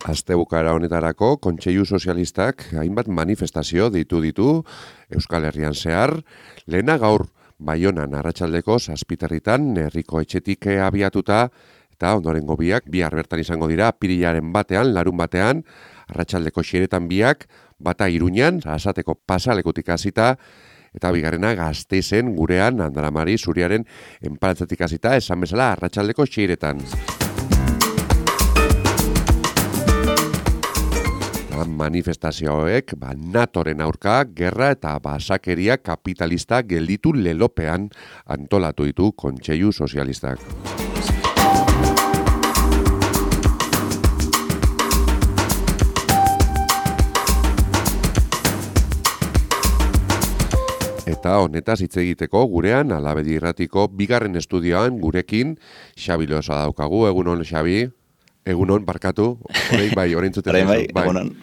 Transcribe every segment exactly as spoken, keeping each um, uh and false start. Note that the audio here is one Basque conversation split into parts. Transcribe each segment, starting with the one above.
Astebukaera honetarako Kontseilu Sozialistak hainbat manifestazio ditu ditu Euskal Herrian zehar, lehena gaur Baionan arratsaldeko zazpiterritan herriko etxetik abiatuta eta ondorengo biak bihar bertan izango dira apirilaren batean, larun batean, arratsaldeko xeretan biak, bata Iruñan, Arrasateko pasalekutik hasita, eta bigarrena Gasteizen gurean Andramari Zuriaren enparatzatik hasita, esan bezala arratsaldeko xeretan. Manifestazioek ba, NATOren aurka, gerra eta basakeria kapitalista gelditu lelopean antolatu ditu Kontseilu Sozialistak. Eta honetaz hitz egiteko gurean Alabedi Irratiko bigarren estudioan gurekin Xabi Loza daukagu. Egunon, Xabi? Egunon, barkatu. Horein bai, horein zuten. Horein bai, egunon.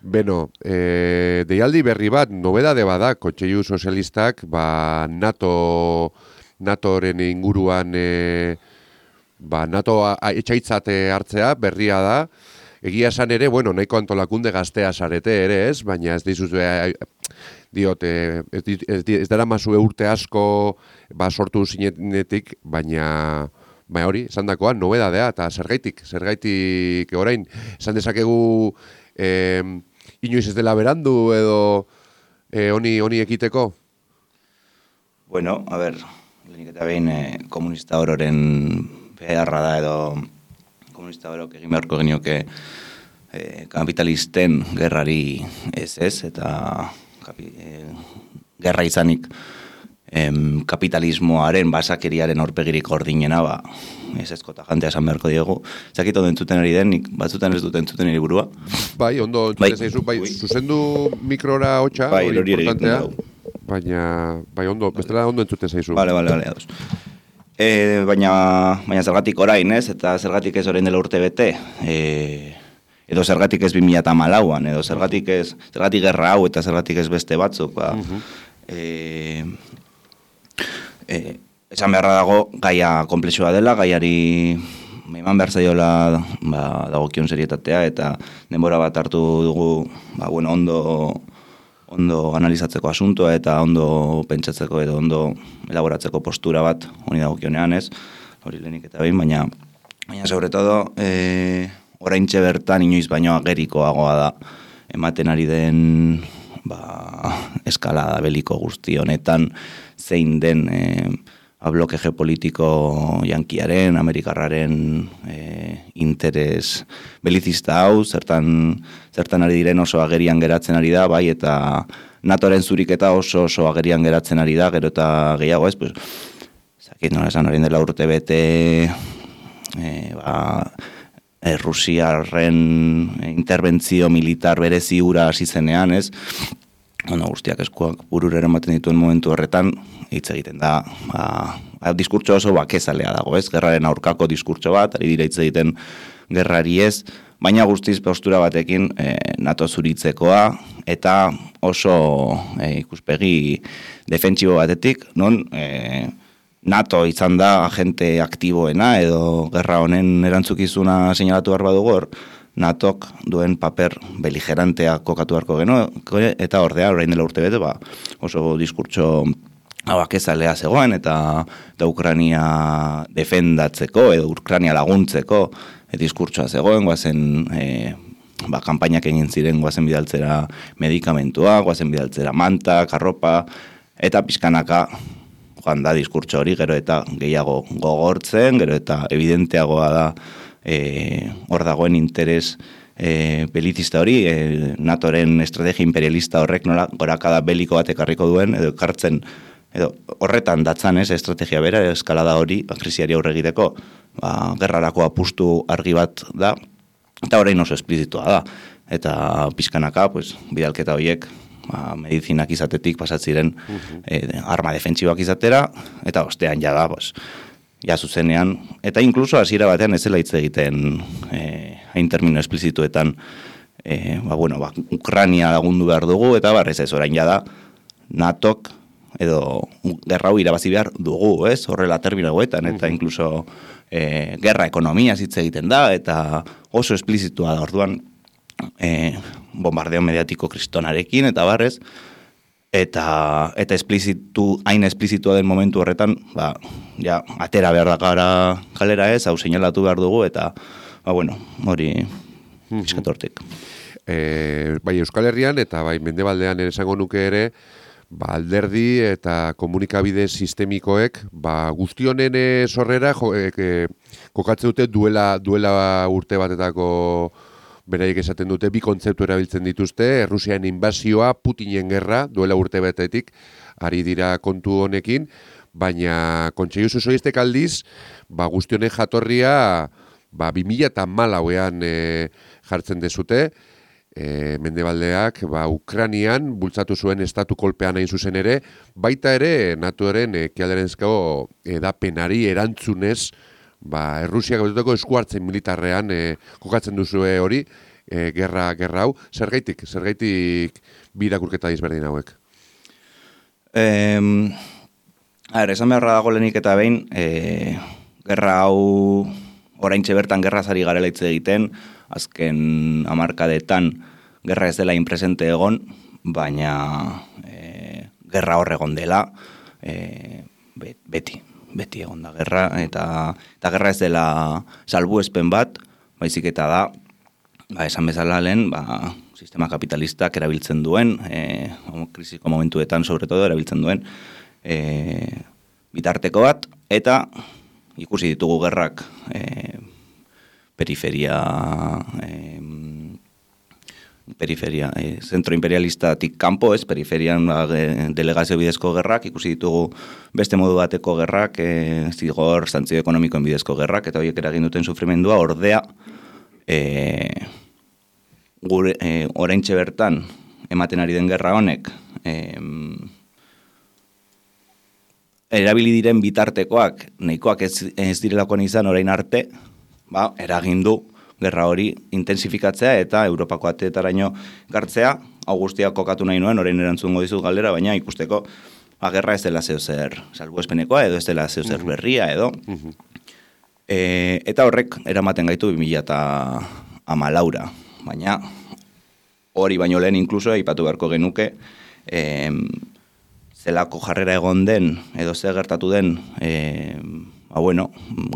Beno, e, deialdi berri bat, nobedade bada, Kontseilu Sozialistak, ba, NATO, NATOren inguruan, e, ba, NATO etxaitzat hartzea, berria da. Egia esan ere, bueno, nahiko antolakunde gaztea zarete ere, ez? Baina ez dizuz, e, diot, e, ez, ez, ez dara mazue urte asko, ba, sortu zinetik, baina... Baina hori, esan dakoa, nobedadea, eta zergaitik, zergaitik orain, esan dezakegu eh, inoiz ez dela berandu edo eh, honi, honi ekiteko? Bueno, a ber, lehenik eta behin eh, komunista ororen beharra da edo komunista orok egin beharko genioke eh, kapitalisten gerrari ez ez, eta kapi, eh, gerra izanik Em, kapitalismoaren, basakeriaren aurpegirik ordinena, ba, ez ezkota jantea esan beharko diegu. Zakit ondo entzuten ari den, nik batzutan ez dut entzuten eri burua. Bai, ondo entzuten zaizu, bai, zuzendu mikrora hotxa, bai, hori importantea, baina, bai, ondo, bestela ondo entzuten zaizu. Bale, bale, bale, ados. E, baina, baina zergatik orain, ez, eta zergatik ez orain dela urte bete, e, edo zergatik ez bi mila hamalauan, edo zergatik ez, zergatik gerra hau eta zergatik ez beste batzuk, ba, uh-huh. e, Eh, esan beharra dago gaia komplexua dela, gaiari eman behar zaiola ba, dagokion serietatea eta denbora bat hartu dugu ba, bueno, ondo, ondo analizatzeko asuntoa eta ondo pentsatzeko edo ondo elaboratzeko postura bat honi dagokionean, ez? Hori lehenik eta behin, baina baina sobre todo eh, oraintxe bertan inoiz baino agerikoagoa da ematen ari den ba, eskalada beliko guzti honetan zein den eh, bloke geopolitiko yankiaren, amerikarraren eh, interes belizista hau, zertan, zertan ari diren oso agerian geratzen ari da, bai, eta NATOren zuriketa oso oso agerian geratzen ari da, gero eta gehiago ez, pues, zakit nola esan hori dela urte bete, eh, ba, eh, Rusiarren interbentzio militar berezi hura hasi zenean, ez, bueno, guztiak eskuak bururera ematen dituen momentu horretan, hitz egiten da, ba, diskurtso oso bakezalea dago, ez? Gerraren aurkako diskurtso bat, ari dira hitz egiten gerrari ez, baina guztiz postura batekin e, NATO zuritzekoa, eta oso e, ikuspegi defentsibo batetik, non e, NATO izan da agente aktiboena, edo gerra honen erantzukizuna seinalatu behar badugu hor, NATOk duen paper beligerantea kokatu beharko geno, eta ordea, orain dela urte bete, ba, oso diskurtso abakezalea zegoen, eta, eta Ukrania defendatzeko, edo Ukrania laguntzeko e, diskurtsoa zegoen, guazen e, ba, kampainak egin ziren, guazen bidaltzera medikamentua, guazen bidaltzera manta, karropa, eta pixkanaka joan da diskurtso hori, gero eta gehiago gogortzen, gero eta evidenteagoa da, E, hor dagoen interes e, belizista hori, e, NATOren estrategia imperialista horrek nola gorakada beliko bat ekarriko duen, edo ekartzen, edo horretan datzan ez, estrategia bera, eskalada hori, krisiari aurre egiteko, ba, gerrarako apustu argi bat da, eta orain oso esplizitua da, eta pizkanaka, pues, bidalketa horiek, ba, medizinak izatetik pasatziren uh-huh. e, arma defentsiboak izatera, eta ostean jada, pues, ja zuzenean, eta inkluso hasiera batean ez zela hitz egiten eh, hain termino esplizituetan eh, ba, bueno, ba, Ukrania lagundu behar dugu, eta barrez ez orain jada NATOk edo gerra hau irabazi behar dugu, ez? Horrela terminagoetan, eta inkluso e, gerra ekonomia hitz egiten da, eta oso esplizitua da orduan e, bombardeo mediatiko kristonarekin, eta barrez, eta eta esplizitu, hain esplizitua den momentu horretan, ba, ja, atera behar da gara kalera ez, hau seinalatu behar dugu, eta, ba, bueno, hori eskatortik. E, bai Euskal Herrian, eta bai Mendebaldean ere esango nuke ere, ba, alderdi eta komunikabide sistemikoek ba, guztionen sorrera jo, e, e, kokatzen dute duela, duela urte batetako beraiek esaten dute, bi kontzeptu erabiltzen dituzte, Errusian inbasioa, Putinen gerra, duela urte batetik, ari dira kontu honekin, baina Kontseilu Sozialistek aldiz, ba, guztionen jatorria ba, bi mila hamalauean e, jartzen dezute, E, Mendebaldeak ba, Ukranian bultzatu zuen estatu kolpean hain zuzen ere, baita ere NATOren ekialderenezko edapenari erantzunez ba, Errusiak betutako eskuartzen militarrean e, kokatzen duzue hori e, gerra, gerra hau. Zergaitik, zergaitik bi irakurketa izberdin hauek? Um, a ver, esan beharra dago lehenik eta behin, e, gerra hau oraintxe bertan gerrazari garela hitz egiten, azken hamarkadetan gerra ez dela inpresente egon, baina e, gerra hor egon dela, e, beti, beti egon da gerra, eta, eta gerra ez dela salbuespen bat, baizik eta da, ba, esan bezala lehen, ba, sistema kapitalistak erabiltzen duen, e, krisiko momentuetan sobretodo erabiltzen duen, e, bitarteko bat, eta ikusi ditugu gerrak, e, periferia eh, periferia eh, zentro imperialistatik kanpo, ez, periferian ba, delegazio bidezko gerrak, ikusi ditugu beste modu bateko gerrak, eh, zigor, santzio ekonomikoen bidezko gerrak, eta horiek eragin duten sufrimendua, ordea eh, gure eh, oraintxe bertan ematen ari den gerra honek eh, erabili diren bitartekoak, nahikoak ez, ez direlakoan izan orain arte, ba, eragin du gerra hori intensifikatzea eta Europako ateetaraino gartzea, hau guztia kokatu nahi nuen, orain erantzungo dizut galdera, baina ikusteko ba, gerra ez dela zeozer salbuespenekoa, edo ez dela zeozer berria, edo. Uh-huh. E, eta horrek eramaten gaitu bi mila hamalaura, baina hori baino lehen inkluso aipatu beharko genuke, e, zelako jarrera egon den, edo ze gertatu den, e, ba, bueno,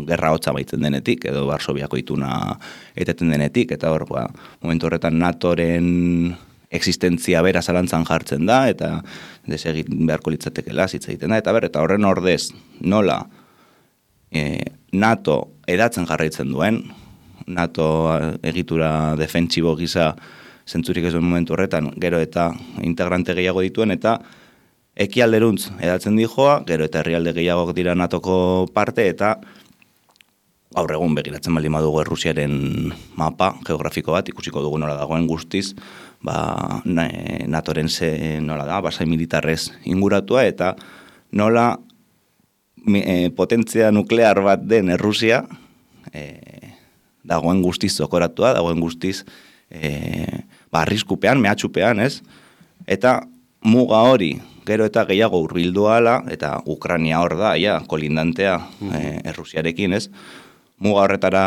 gerra hotza baitzen denetik, edo Varsoviako ituna eteten denetik, eta hor, ba, momentu horretan NATOren existentzia bera zalantzan jartzen da, eta desegin beharko litzatekela hitz egiten da, eta ber, eta horren ordez, nola e, NATO edatzen jarraitzen duen, NATO egitura defentsibo gisa zentzurik ez duen momentu horretan, gero eta integrante gehiago dituen, eta ekialderuntz edatzen dijoa, gero eta herrialde gehiagok dira NATOko parte, eta gaur egun begiratzen baldin badugu Errusiaren mapa geografiko bat, ikusiko dugu nola dagoen guztiz, ba, NATOren ze, nola da, basai militarrez inguratua, eta nola e, potentzia nuklear bat den Errusia e, dagoen guztiz zokoratua, dagoen guztiz e, ba, arriskupean, mehatxupean, ez? Eta muga hori, gero eta gehiago hurbildu ala, eta Ukrania hor da, ja, kolindantea mm-hmm. e, Errusiarekin, ez? Muga horretara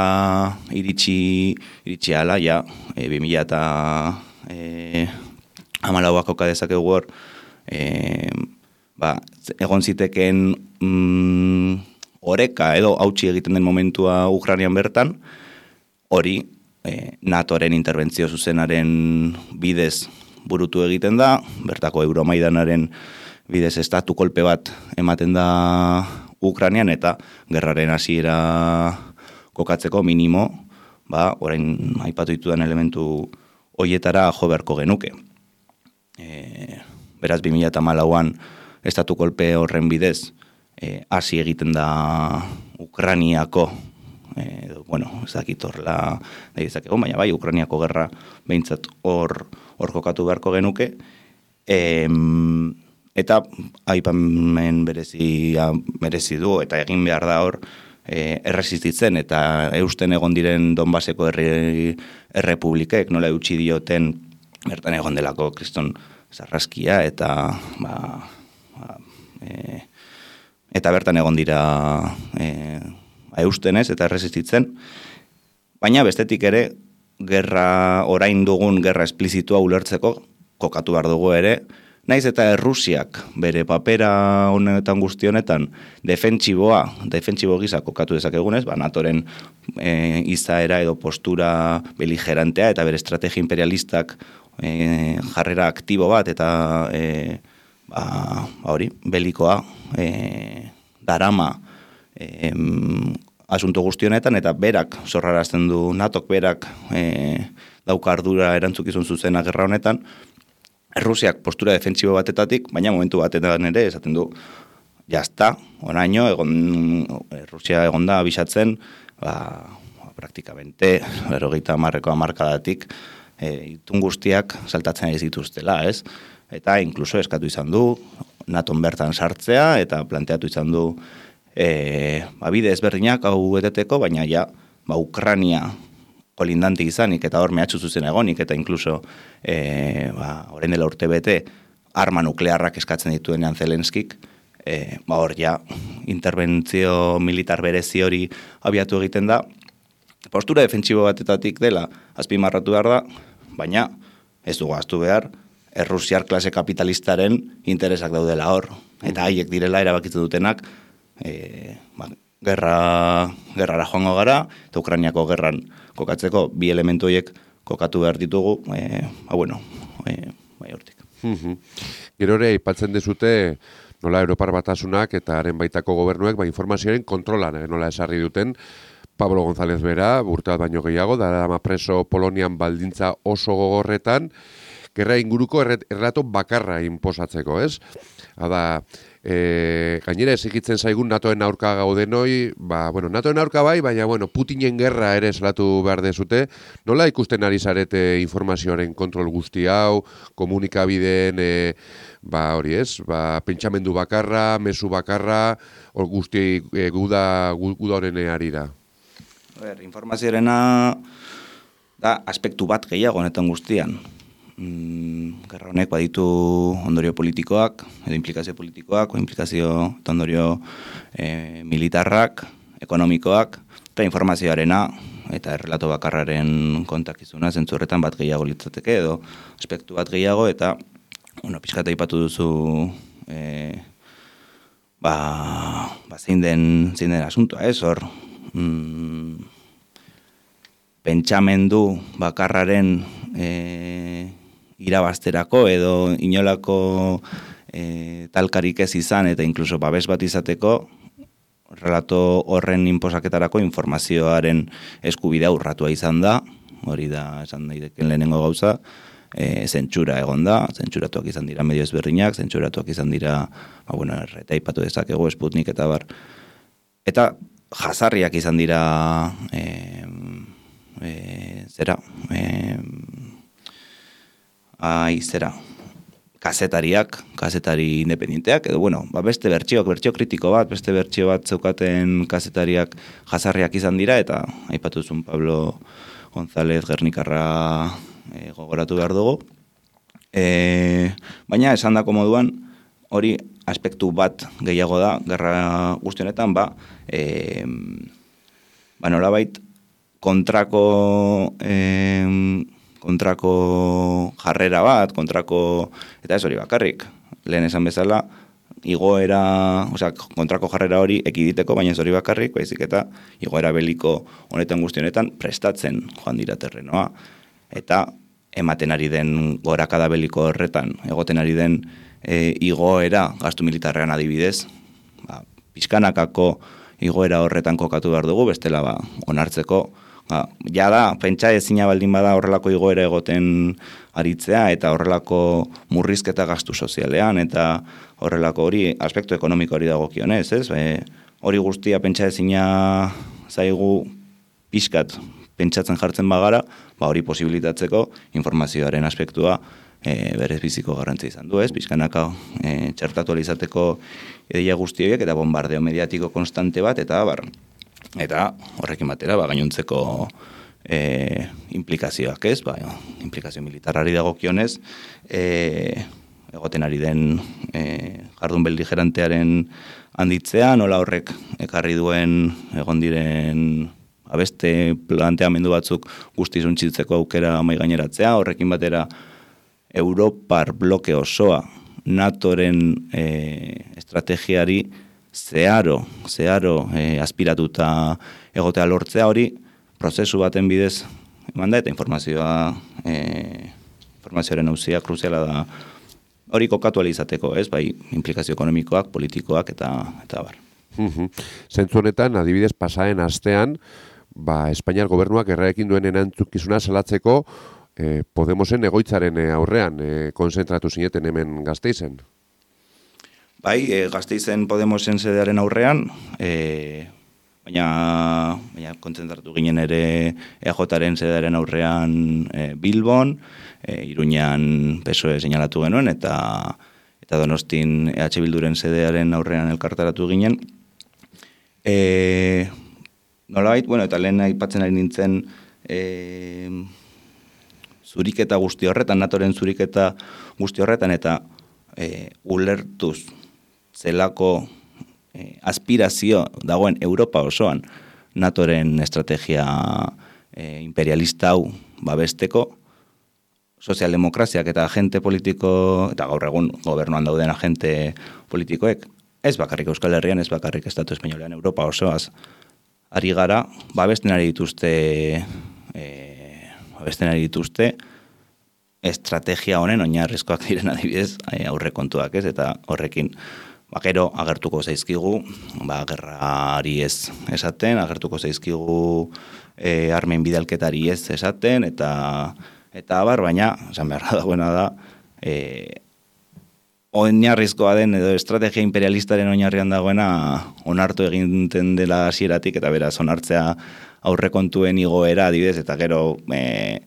iritsi, iritsi ala, ja, e, bi mila eta e, hamalauak oka dezakegu hor, e, ba, egon ziteken mm, oreka edo hautsi egiten den momentua Ukrainian bertan, hori e, NATOren interbentzio zuzenaren bidez burutu egiten da, bertako Euromaidanaren bidez estatu kolpe bat ematen da Ukrainian, eta gerraren hasiera kokatzeko minimo, ba, orain aipatu ditudan elementu hoietara jo beharko genuke. E, beraz, bi mila hamalauan estatu kolpe horren bidez hasi e, egiten da Ukrainiako, e, bueno, ez dakit horrela nahi dezakegu, baina bai, Ukrainiako gerra behintzat hor hor kokatu beharko genuke, e, eta aipamen berezi, berezi du, eta egin behar da hor, e, erresistitzen, eta eusten egon diren Donbaseko herri, errepublikek, nola eutxi dioten, bertan egon delako kriston zarraskia, eta ba, ba, e, eta bertan egon dira e, eustenez eta erresistitzen, baina bestetik ere, gerra orain dugun gerra esplizitua ulertzeko, kokatu behar dugu ere, naiz eta Errusiak bere papera honetan guzti honetan defentsiboa, defentsibo gisa kokatu dezakegunez, ba, natoren e, izaera edo postura beligerantea eta bere estrategia imperialistak e, jarrera aktibo bat eta e, ba, hori, belikoa e, darama e, asunto guzti honetan eta berak zorrarazten du natok berak e, dauka ardura erantzukizun zuzena gerra honetan, Errusiak postura defentsibo batetatik, baina momentu batetan ere esaten du, jazta, oraino, egon, Errusia egonda abisatzen, ba, praktikamente, berrogeita hamarreko hamarkadatik, e, itun guztiak saltatzen ez dituztela, ez? Eta inkluso eskatu izan du, naton bertan sartzea, eta planteatu izan du, e, ba, bide ezberdinak hau eteteko, baina ja, ba, Ukrania, kolindante izanik, eta hor mehatxu zuzen egonik, eta inkluso, e, ba, orain dela urte bete, arma nuklearrak eskatzen dituenean Zelenskik, e, ba, hor ja, interbentzio militar berezi hori abiatu egiten da, postura defentsibo batetatik dela, azpimarratu behar da, baina ez dugu ahaztu behar, Errusiar klase kapitalistaren interesak daudela hor, eta haiek direla erabakitzen dutenak, e, ba, gerra, gerrara joango gara, eta Ukrainiako gerran kokatzeko bi elementu horiek kokatu behar ditugu, e, ba, bueno, e, bai hortik. Gero ere, aipatzen dezute, nola Europar Batasunak eta haren baitako gobernuek, ba, informazioaren kontrolan, eh, nola esarri duten, Pablo González bera, urte bat baino gehiago, darama preso Polonian baldintza oso gogorretan, gerra inguruko errato bakarra inposatzeko, ez? Hada, e, gainera ezikitzen zaigun NATOen aurka gaudenoi, ba, bueno, NATOen aurka bai, baina, bueno, Putinen gerra ere eslatu behar dezute, nola ikusten ari zarete informazioaren kontrol guzti hau, komunikabideen, e, ba, hori ez, ba, pentsamendu bakarra, mezu bakarra, hor guzti e, guda, guda honen arira. Ber, informazioarena da aspektu bat gehiago honetan guztian. Mm, gerra honek baditu ondorio politikoak, edo implikazio politikoak, o implikazio eta ondorio e, militarrak, ekonomikoak, eta informazioarena eta errelato bakarraren kontakizuna zentzu horretan bat gehiago litzateke, edo aspektu bat gehiago, eta bueno, pixkata ipatu duzu e, ba, ba zein den, zein den asuntoa, ez hor, mm, pentsamendu bakarraren e, irabazterako edo inolako e, talkarik ez izan eta inkluso babes bat izateko relato horren inposaketarako informazioaren eskubidea urratua izan da, hori da esan daiteken lehenengo gauza, e, zentsura egon da, zentzuratuak izan dira medio ezberdinak, zentzuratuak izan dira, ba, bueno, erreta ipatu dezakegu, Sputnik eta bar, eta jazarriak izan dira e, e, zera, e, ai, zera, kazetariak, kazetari independenteak, edo, bueno, ba, beste bertsioak, bertsio kritiko bat, beste bertsio bat zeukaten kazetariak jazarriak izan dira, eta aipatu zuen Pablo González Gernikarra e, gogoratu behar dugu. E, baina, esan dako moduan, hori aspektu bat gehiago da, gerra guztionetan, ba, e, ba nolabait, kontrako... E, kontrako jarrera bat, kontrako, eta ez hori bakarrik, lehen esan bezala, igoera, osea, kontrako jarrera hori ekiditeko, baina ez hori bakarrik, baizik eta igoera beliko honetan guztionetan prestatzen joan dira terrenoa, eta ematen ari den gorakada beliko horretan, egoten ari den e, igoera gastu militarrean adibidez, ba, pixkanakako igoera horretan kokatu behar dugu, bestela ba, onartzeko, ba, ja da, pentsa ezina baldin bada horrelako igoera egoten aritzea eta horrelako murrizketa gastu sozialean eta horrelako hori aspektu ekonomiko hori dagokionez, ez? E, hori guztia pentsa ezina zaigu pixkat pentsatzen jartzen bagara, ba hori posibilitatzeko informazioaren aspektua e, berez biziko garrantzia izan du, ez? Pixkanaka e, txertatu alizateko ideia guzti horiek eta bombardeo mediatiko konstante bat eta bar. Eta horrekin batera, ba, gainontzeko e, implikazioak ez, ba, implikazio militarrari dagokionez, e, egoten ari den e, jardun beligerantearen handitzea, nola horrek ekarri duen egon diren beste planteamendu batzuk guztiz untxitzeko aukera mai gaineratzea, horrekin batera Europar bloke osoa NATOren e, estrategiari zeharo, zeharo e, aspiratuta egotea lortzea hori, prozesu baten bidez eman da eta informazioa e, informazioaren auzia kruziala da hori kokatu alizateko, ez? Bai, implikazio ekonomikoak, politikoak eta eta bar. Zentzu honetan, adibidez, pasaren astean, ba, Espainiar gobernuak erraekin duen erantzukizuna salatzeko eh, Podemosen egoitzaren aurrean eh, konzentratu zineten hemen Gasteizen. Bai, e, Gasteizen Podemosen sedearen aurrean, e, baina, baina kontzentratu ginen ere E A Jaren sedearen aurrean e, Bilbon, e, Iruñan P S O E seinalatu genuen, eta eta Donostin E H Bilduren sedearen aurrean elkartaratu ginen. E, nolabait, bueno, eta lehen aipatzen ari nintzen e, zuriketa guzti horretan, NATOren zuriketa guzti horretan, eta e, ulertuz zelako e, aspirazio dagoen Europa osoan NATOren estrategia e, imperialista hau babesteko, sozialdemokraziak eta agente politiko, eta gaur egun gobernuan dauden agente politikoek, ez bakarrik Euskal Herrian, ez bakarrik Estatu Espainolean, Europa osoaz ari gara, babesten ari dituzte e, babesten ari dituzte estrategia honen oinarrizkoak diren adibidez aurrekontuak, ez? Eta horrekin bakero agertuko zaizkigu, ba, gerrari ez esaten, agertuko zaizkigu e, armen bidalketari ez esaten, eta eta abar, baina, esan behar dagoena da, e, oinarrizkoa den edo estrategia imperialistaren oinarrian dagoena onartu eginten dela hasieratik eta beraz onartzea aurrekontuen igoera adibidez, eta gero e,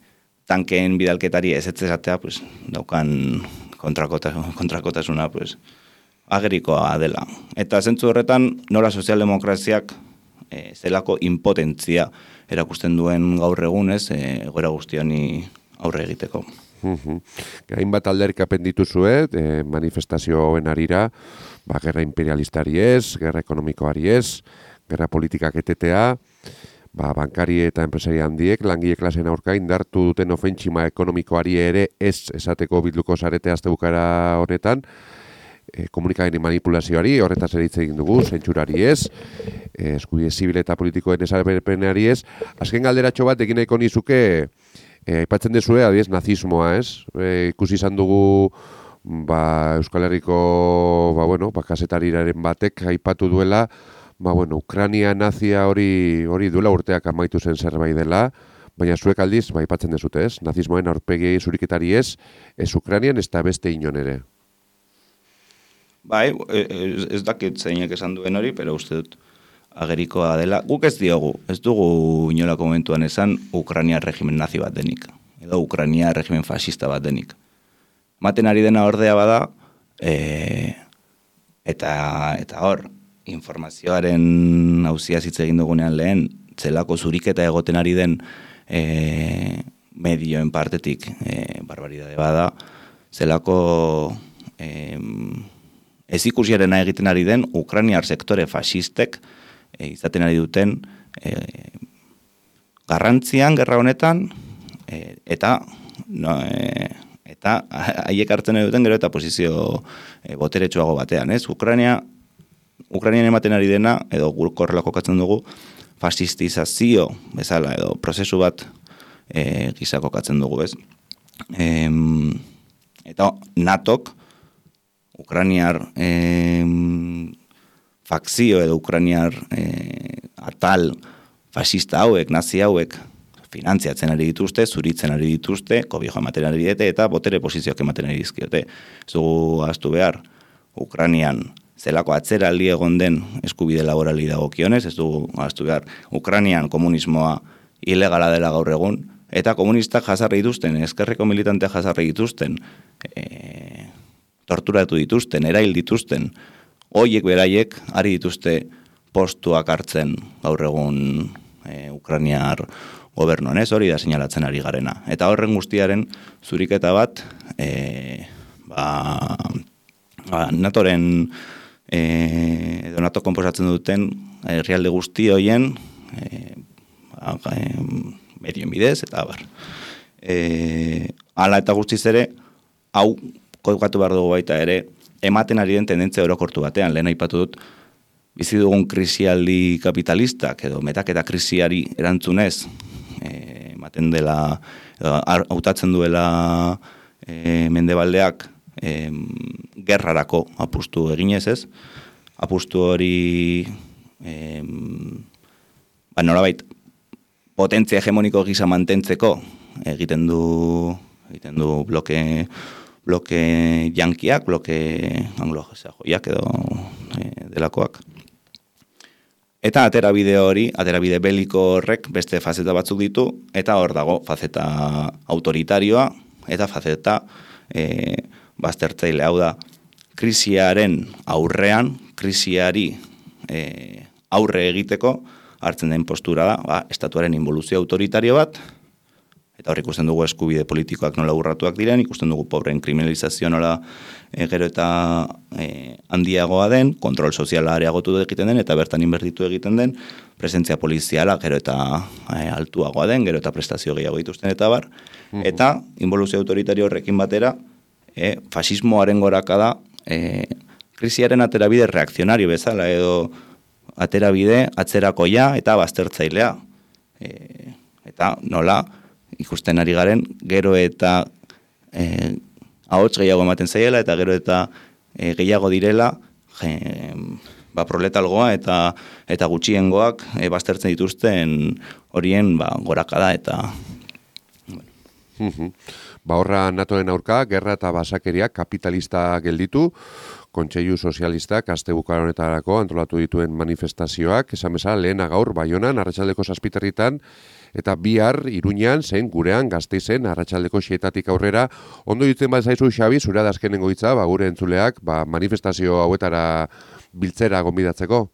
tankeen bidalketari ez ez esatea, pues, daukan kontrakotasuna, kontrakotasuna pues, agerikoa dela. Eta zentzu horretan, nola sozialdemokraziak e, zelako impotentzia erakusten duen gaur egunez, e, gora guztioni aurre egiteko. Hainbat alderrikapen dituzue, eh, manifestazioen arira, ba, gerra imperialistari ez, gerra ekonomikoari ez, gerra politikak etetea, ba, bankari eta enpresari handiek, langile klasen aurka indartu duten ofentsima ekonomikoari ere ez esateko bilduko zarete astebukara honetan, e, komunikabideen manipulazioari, horretaz ere hitz egin dugu, zentsurari ez, e, eskubide zibil eta politikoen esalberpenari ez. Azken galderatxo bat egin nahiko nizuke, E, aipatzen dezue, adiez, nazismoa, ez? E, ikusi izan dugu ba, Euskal Herriko ba, bueno, ba, kasetariraren batek aipatu duela, ba, bueno, Ukrania nazia hori hori duela urteak amaitu zen zerbait dela, baina zuek aldiz, ba, aipatzen dezute, ez? Nazismoen aurpegi zuriketari ez, ez Ukrainian, ez da beste inon ere. Bai, ez, ez dakit zeinek esan duen hori, pero uste dut agerikoa dela. Guk ez diogu, ez dugu inolako momentuan esan Ukrania regimen nazi bat denik, edo Ukrania regimen fascista bat denik. Maten ari dena ordea bada, e, eta, eta hor, informazioaren auzia hitz egin dugunean lehen, zelako zuriketa egoten ari den e, medioen partetik e, barbaridade bada, zelako e, ez ikusiarena egiten ari den Ukrainiar sektore fascistek E, izaten ari duten e, garrantzian gerra honetan e, eta no, e, eta haiek hartzen ari duten gero eta posizio e, boteretsuago batean, ez? Ukraina Ukrainian ematen ari dena edo gurkorrela kokatzen dugu fasistizazio bezala edo prozesu bat e, gisa kokatzen dugu, ez? E, eta NATOk Ukrainiar e, fakzio edo Ukrainiar e, atal fascista hauek, nazi hauek, finantziatzen ari dituzte, zuritzen ari dituzte, kobijo ematen ari dite eta botere posizioak ematen ari dizkiote. Ez dugu ahaztu behar, Ukrainian zelako atzeraldi egon den eskubide laborali dagokionez, ez dugu ahaztu behar, Ukrainian komunismoa ilegala dela gaur egun, eta komunistak jasarri dituzten, ezkerreko militanteak jasarri dituzten, e, torturatu dituzten, erail dituzten, hoiek beraiek ari dituzte postuak hartzen gaur egun e, Ukrainiar gobernuan, ez hori da seinalatzen ari garena. Eta horren guztiaren zuriketa bat e, ba, ba, NATOren e, edo NATO konposatzen duten herrialde guzti hoien e, ba, e, medioen bidez, eta bar. E, ala eta guztiz ere, hau kodukatu behar dugu baita ere, ematen ari den tendentzia orokortu batean, lehen aipatu dut, bizi dugun krisialdi kapitalistak edo metaketa krisiari erantzunez, e, ematen dela, hautatzen duela e, mendebaldeak e, gerrarako apustu eginez ez, apustu hori e, ba, norabait potentzia hegemoniko gisa mantentzeko egiten du egiten du bloke bloke yankiak, bloke anglo-sajoiak edo e, delakoak. Eta aterabide hori, aterabide beliko horrek beste fazeta batzuk ditu, eta hor dago fazeta autoritarioa, eta fazeta e, baztertzaile hau da. Krisiaren aurrean, krisiari e, aurre egiteko, hartzen den postura da, ba, estatuaren involuzio autoritario bat, eta hor ikusten dugu eskubide politikoak nola urratuak diren, ikusten dugu pobren kriminalizazio nola e, gero eta e, handiagoa den, kontrol soziala areagotu egiten den, eta bertan inbertitu egiten den, presentzia poliziala gero eta e, altuagoa den, gero eta prestazio gehiago dituzten eta bar, uh-huh. Eta involuzio autoritario horrekin batera, e, fasismoaren gorakada, e, krisiaren aterabide reakzionario bezala, edo aterabide atzerakoia eta baztertzailea. E, eta nola, ikusten ari garen, gero eta e, ahots gehiago ematen zaiela, eta gero eta e, gehiago direla, e, ba, proletalgoa eta eta gutxiengoak e, baztertzen dituzten horien ba, gorakada eta... Bueno. Ba horra NATOren aurka, gerra eta basakeria kapitalista gelditu, Kontseilu Sozialistak astebuka honetarako antolatu dituen manifestazioak, esan bezala lehena gaur Baionan, arratsaldeko zazpiterritan, eta bihar Iruñan zen gurean Gasteizen arratsaldeko xietatik aurrera. Ondo ditzen bat zaizu, Xabi, zure da azkenengo hitza, ba, gure entzuleak ba, manifestazio hauetara biltzera gonbidatzeko?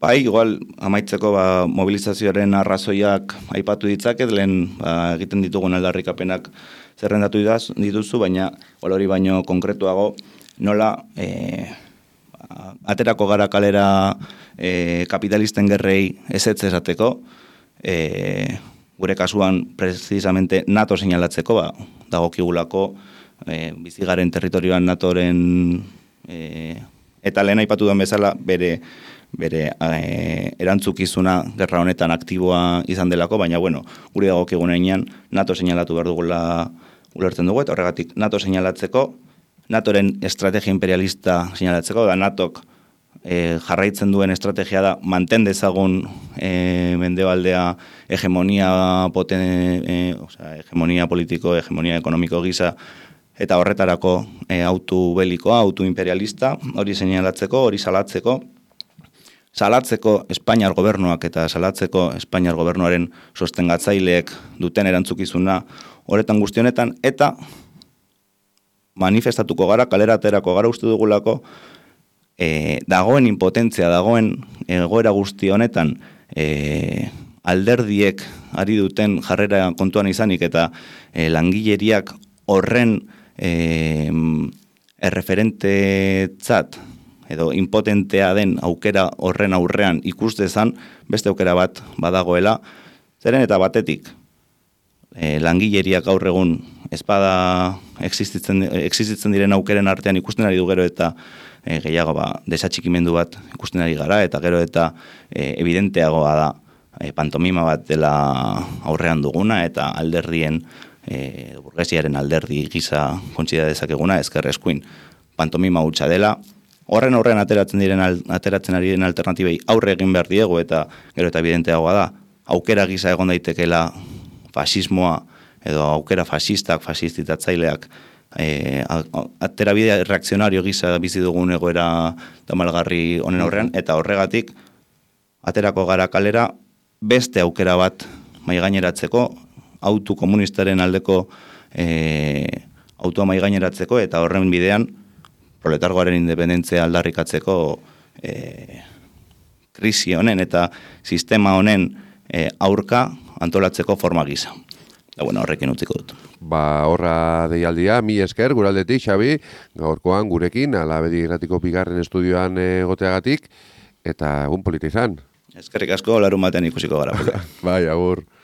Bai, igual, amaitzeko ba, mobilizazioaren arrazoiak aipatu ditzaket, lehen ba, egiten ditugun aldarrikapenak zerrendatu dituzu, baina hori baino konkretuago, nola e, ba, aterako gara kalera e, kapitalisten gerrei ezetz esateko, e, gure kasuan precisamente NATO seinalatzeko, ba, dagokigulako e, bizigaren territorioan NATOren e, eta lehen aipatu duen bezala bere bere e, erantzukizuna gerra honetan aktiboa izan delako, baina bueno, guri dagokigunean NATO seinalatu behar dugula ulertzen dugu, eta horregatik NATO seinalatzeko, NATOren estrategia imperialista seinalatzeko, da NATOk e, jarraitzen duen estrategia da manten dezagun e, mendebaldea hegemonia poten, e, osea, hegemonia politiko, hegemonia ekonomiko gisa, eta horretarako e, autu belikoa, autu imperialista, hori seinalatzeko, hori salatzeko, salatzeko Espainiar gobernuak eta salatzeko Espainiar gobernuaren sostengatzaileek duten erantzukizuna horretan guzti honetan, eta manifestatuko gara, kalera aterako gara uste dugulako, e, dagoen impotentzia, dagoen egoera guzti honetan, e, alderdiek ari duten jarrera kontuan izanik, eta e, langileriak horren e, erreferentetzat, edo impotentea den aukera horren aurrean ikus dezan, beste aukera bat badagoela, zeren eta batetik, e, langileriak gaur egun ezpada existitzen, existitzen diren aukeren artean ikusten ari du gero eta e, gehiago ba, desatxikimendu bat ikusten ari gara, eta gero eta e, evidenteagoa da e, pantomima bat dela aurrean duguna, eta alderdien, e, burgesiaren alderdi gisa kontsida dezakeguna, ezker eskuin pantomima hutsa dela, horren horren ateratzen diren ateratzen ari diren alternatibei aurre egin behar diegu, eta gero eta evidenteagoa da, aukera gisa egon daitekela fasismoa, edo aukera fasistak, fasistizatzaileak, e, aterabide reakzionario gisa bizi dugun egoera tamalgarri honen aurrean, eta horregatik, aterako gara kalera, beste aukera bat maigaineratzeko, autu komunistaren aldeko e, autua maigaineratzeko, eta horren bidean, proletargoaren independentzia aldarrikatzeko e, krisi honen eta sistema honen e, aurka antolatzeko forma gisa. Da, bueno, horrekin utziko dut. Ba, horra deialdia, mi esker, guraldetik, Xabi, gaurkoan gurekin, Alabedi Irratiko bigarren estudioan egoteagatik, eta egun polita izan. Eskerrik asko, larun batean ikusiko gara. Bai, agur.